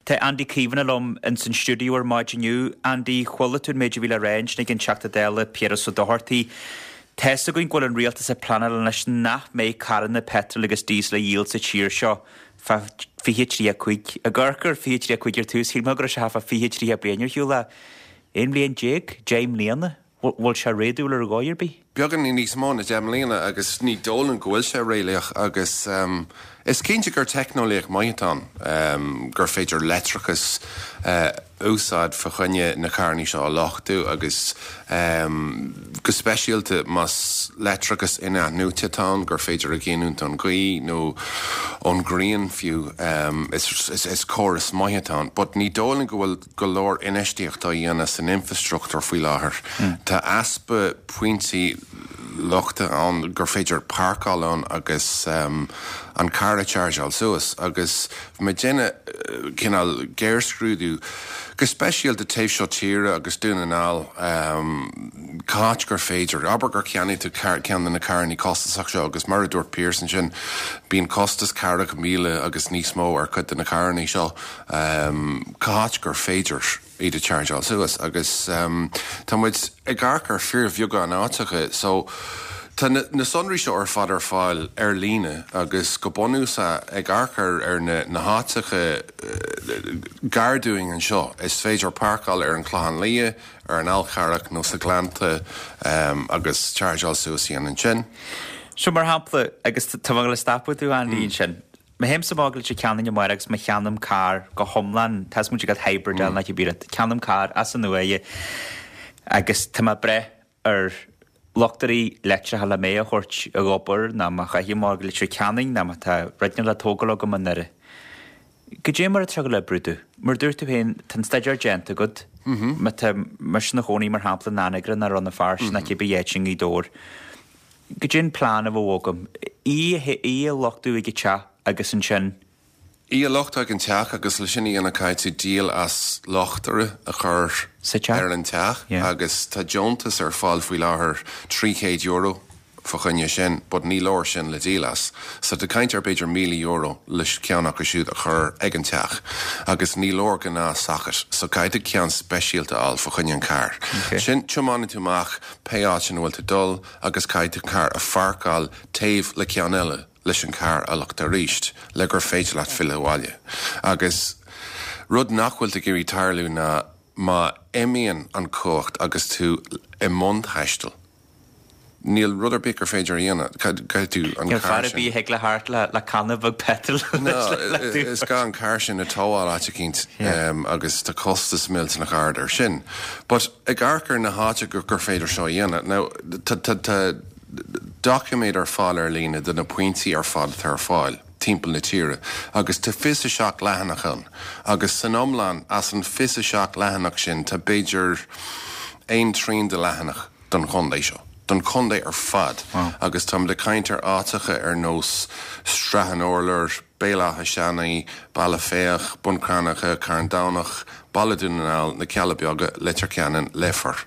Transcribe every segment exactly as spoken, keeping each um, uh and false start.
Tá Andy Caomhánach liom in san stiúideo ar maidin inniu. Andy, chuala tú an méid a bhí le rá ansin ag an Teachta Dála Piaras Ó Dochartaigh. Tá a fhios againn go bhfuil an rialtas ag pleanáil anois nach mbeidh carranna petrol agus diesel a dhíol sa tír seo fá fiche tríocha cúig. Ag amharc ar fiche tríocha cúig ar tús, shíl mé go raibh sé fá fiche tríocha bliain ar shiúl ach aon bhliain déag, deich mbliana, bhfuil sé réadúil ar dhóigh ar bith? Beagáinín níos mó na deich mbliana agus ní dóigh liom go bhfuil sé réalaíoch agus um, is cinnte gur teicneolaíocht maith ann um, gur féidir leictreachas uh, úsáid fa choinne na carranna seo a luchtú agus um, go speisialta más leictreachas in-athnuaite atá gur féidir a ghiniúint ón ghaoth nó ón ngrian fiú um, is, is, is córas maith ann, but ní dóigh liom go bhfuil go leor infheistíocht á dhéanamh san infrastruchtúr faoi láthair. Mm. Tá easpa pointí luchta ann gur féidir páirceáil ann agus um, an car a chargeáil suas agus mé déanamh cineál géarscrúdú go speisialta taobh seo tíre agus Dún na nGall um, cá háit gur féidir abair gur cheannaigh tú ceann de na carranna costasach seo agus mar a dúirt Pearson sin bíonn costas ceathracha míle agus níos mó ar chuid de na carranna seo um, cá háit gur féidir iad a chargeáil suas agus um, Tá muid ag amharc ar fíorbheagán áiteacha so Tá na, na sonraí seo ar fad ar fáil ar líne agus go bunúsach ag amharc ar ar na, na háiteacha uh, gar dúinn anseo. Is féidir páirceáil ar an Chlochán Liath, ar an Fhál Carrach nó sa Ghleannta um, agus chargeáil suas í ansin. So mar shampla agus tá le stopadh tú Andy mm. sin. Má théim amach go Leitir Ceanainn amárach agus má cheannaím carr go hiomlán tá mu go hybrid mm. na bí ceannaím carr as an nua agus tá mé breá ar luchtairí leictreacha le mé a thabhairt ag obair ná má chaithim go Leitir Ceanainn ná má tá rudaí le tógáil agam i nDoire. Goidé mar atá le brúdú. Mar dúirt tú féin tá staidéar déanta agat má tá mise i mo chónaí mar shampla in Anagaire nó Rann na Feirste ná cibé áit i nGaoth Dobhair. Goidé an plean a bheadh agam í í a luchtú ag an teach agus ansin Í a luchtú ag an teach agus le sin í anna caithfidh tú díol as luchtaire a chur Sa teach? ar an teach Yeah. agus tá deontas ar fáil faoi láthair trí chéad euro fa choinne sin, but ní leor sin le díol as. So tá caint ar b'fhéidir míle euro leis ceann acu siúd a chur ag an teach, agus ní leor gnáth-socket, so caithfidh ceann speisialta a fháil fa choinne an car. Okay. Sin tiomáineann tú amach pé áit ina bhfuil tú dul agus caithfidh tú car a pháirceáil taobh le ceann eile leis an car a luchtú arís le gur féidir leat filleadh abhaile. Agus rud nach bhfuil ag iarraidh tarlú ná má imíonn an cumhacht agus tú i mbun taistil. Níl rud ar bith gur féidir a dhéanamh caithfidh tú an Níl car fear sin. bí ag le thart le le canna bheag petrol No, is gá an car sin a thógáil áit eicínt um, agus tá costas millteanach ard ar sin. But ag amharc ar na háite gur gur féidir seo a dhéanamh. Now tá doiciméad ar fáil ar líne de na pointí ar fad atá ar fáil timpeall na tíre, agus tá fiche seacht leathanach ann, agus san iomlán as an fiche seacht leathanach sin tá b'fhéidir aon trian de leathanach don chontae seo. Don chontae ar fad Wow. agus tá de caint ar áiteacha ar nós Srath an Urláir, Béal Átha Seanaidh, Baile Féach, Bun Cranncha, Carndonach, Baile Dún na nGall, na Cealla Beaga, Leitir Ceanainn, Leifear.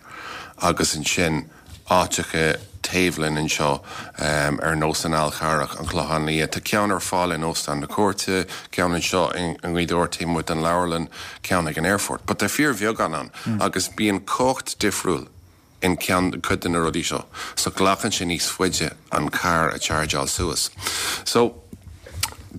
Agus ansin áiteacha taobh linn anseo um, ar nós an Fhál Carrach an Clochán Liath. Tá ceann ar fáil in Óstán na Cúirte, ceann anseo i nGaoth Dobhair taobh den leabharlann ceann ag an airport. But tá fíorbheagán ann mm. agus bíonn cumhacht difriúil in ceann cuid de na rudaí seo. So glacann sé níos faide an car a chargeáil suas. So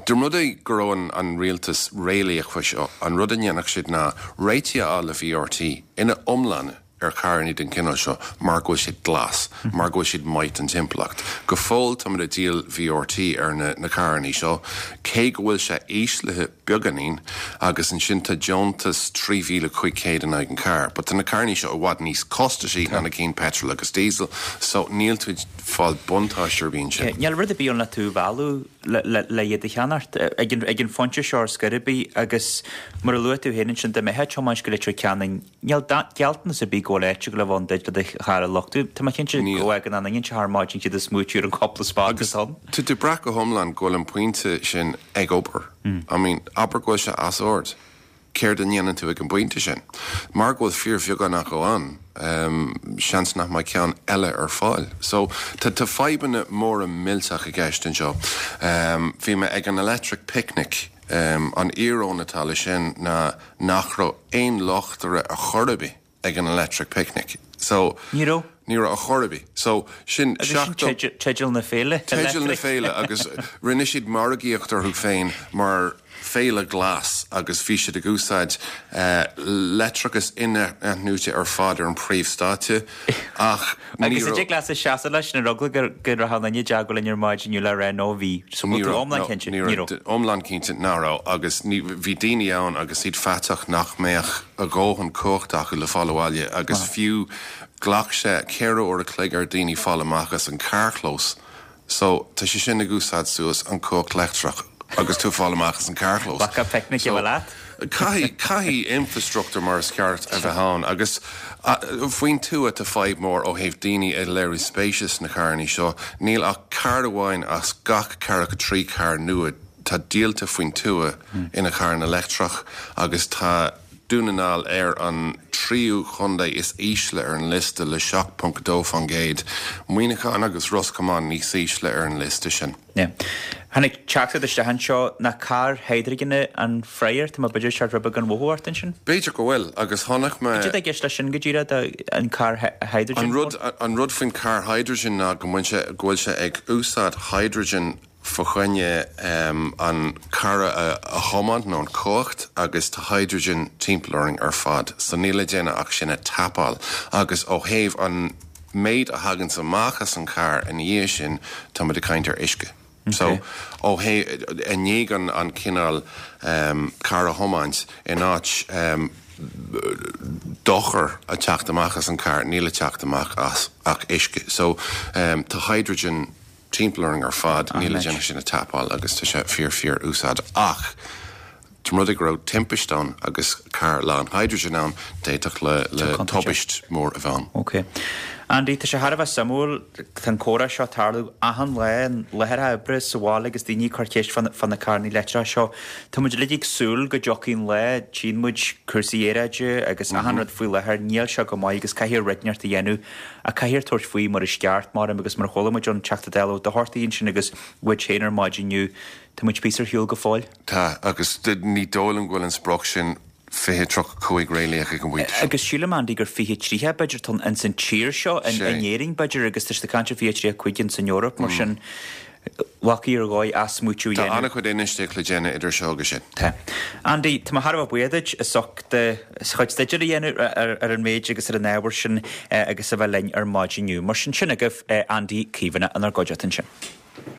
De rud é go raibh an, an rialtas réalaíoch faoi seo an rud a dhéanfadh siad ná réiteach a fháil le VRT ina iomláine ar charranna den chineál seo mar go bhfuil siad glas, mar go bhfuil siad maith don timpeallacht. Go fóill tá ag díol VRT ar na, na carranna seo, cé go bhfuil sé íslithe beagáinín agus ansin tá deontas trí mhíle cúig chéad in aghaidh an car, But tá na carranna seo i bhfad níos costasaí ná na cinn petrol agus diesel, so níl tú fáil buntáiste ar bith sin. Níl rud ar bith ann le tú a mhealladh le le iad a cheannacht ag an ag an phointe seo ar scor ar bith agus mar a luaigh tú féin ansin dá mbeifeá ag tiomáint go Leitir Ceanainn níl gealltanas ar bith go bhfuil áit le bheith duit le do charr a luchtú Tá mé cinnte Níl. go ag an an inse thar maidin siad is smúitiú an cúpla spot Agus ann. Tá tú brath go hiomlán go bhfuil an pointe sin ag obair. I mean, abair go bhfuil sé as ord. Céard a dhéanann tú ag an bpointe sin. Mar go bhfuil fíorbheagán acu ann, um, seans nach mbeidh ceann eile ar fáil. So tá tá fadhbanna móra millteach i gceist anseo. Um, Bhí mé ag an Electric Picnic An íoróin atá leis sin ná nach raibh aon locht air ar chor ar bith ag an Electric Picnic. So Ní raibh? Ní raibh ar chor ar bith. So sin seachtó. Teideal na féile. Teideal na féile agus rinne siad margaíocht orthu féin mar féile glas agus bhí siad ag úsáid leictreachas in-athnuaite ar fad ar an príomhstáitse ach ní Agus raibh. an dtig leatsa seasamh leis ar eagla go raibh an duine i dteagmháil linn ar maidin inniu le rá no bhí. So bhfuil tú iomlán cinnte? Ní Ní raibh. Iomlán cinnte nach raibh agus ní bhí daoine ann agus iad faiteach nach mbeadh a dhóthain cumhachta acu le fáil abhaile agus fiú ghlac sé ceithre uair a chloig ar daoine fáil amach as an carrchlós. So tá sé sin ag úsáid suas an cumhacht leictreach agus tú fáil amach as an carrchlós. Bacadh picnic a bheith leat? Caithfidh caithfidh infrastruchtúr mar is ceart a bheith ann agus faoin tuath tá fadhb mór ó thaobh daoine ag léiriú spéise sna carranna seo, níl ach carr amháin as gach ceathracha trí carr nua tá díolta faoin tuath ina charranna leictreach agus tá Dún na nGall ar an tríú chontae is ísle ar an liosta le seacht ponc dó faoin gcéad, Muineachán agus Ros Comáin níos ísle ar an liosta sin. Yeah. Tháinig teachtaireacht isteach anseo nach carr hidrigine an Freyr, tá mé b'fhéidir seart rud beag gan mhothú ort ansin? B'fhéidir go bhfuil agus chonaic mé. Cad é i gceist leis sin go díreach, an carr hydrogen? An rud an rud faoin carr hydrogen ná go mbíonn sé go bhfuil sé ag úsáid hydrogen fá choinne an carr a thiomáint nó an cumhacht agus tá hydrogen timpeall orainn ar fad so níl le déanamh ach sin a tapáil agus ó thaobh an méid a thaganns amach as an carr ina dhiaidh sin tá muid ag caint ar uisce. So ó thaobh i ndiaidh an an cineál carr a thiomáint in áit dochar a teacht amach as an carr níl ag teacht amach as ach uisce. So tá hydrogen timpeall orainn ar fad, níl le déanamh sin a tapáil agus tá sé fíor fíor úsáideach. Ach dá mba rud é go raibh timpist ann agus carr lán hydrogen ann, d'fhéadfadh le le tubaist mór a bheith ann. Ok. Andy, tá sé thar a bheith suimiúil, tá an comhrá seo ag tarlú achan lá, i láthair oibre, sa bhaile agus daoine ag cur ceist fá fá na carranna leictreacha seo. Tá muid uilig ag súil go dtiocfaidh an lá, tchíonn muid cúrsaí aeráide agus achan rud faoi láthair, níl seo go maith agus caithfear rud inteacht a dhéanamh ach caithfear tabhairt faoi mar is ceart, maram, agus mar a chuala muid ón Teachta Dála Ó Dochartaigh ansin agus uait féin ar maidin inniu, tá muid píosa ar shiúl go fóill. Tá, agus ní dóigh liom go bhfuil an sprioc sin fiche tríocha cúig réalaíoch ag an bpointe seo. Agus sílim, Andy, gur fiche tríocha b'fhéidir atá ann ins an tír seo, in Éirinn b'fhéidir, agus tá siad ag caint ar fiche tríocha cúig ins an Eoraip, mar sin bhfacaí ar dhóigh athsmaoitiú a Tá dhéanamh. an-chuid infheistíocht le déanamh idir seo agus sin. Tá. Andy, tá mé thar a bheith buíoch duit as ucht do chuid staidéir a dhéanamh ar an méid agus ar an ábhar sin agus a bheith linn ar maidin inniu. Mar sin, sin agaibh Andy Caomhánach inár gcuideachta ansin.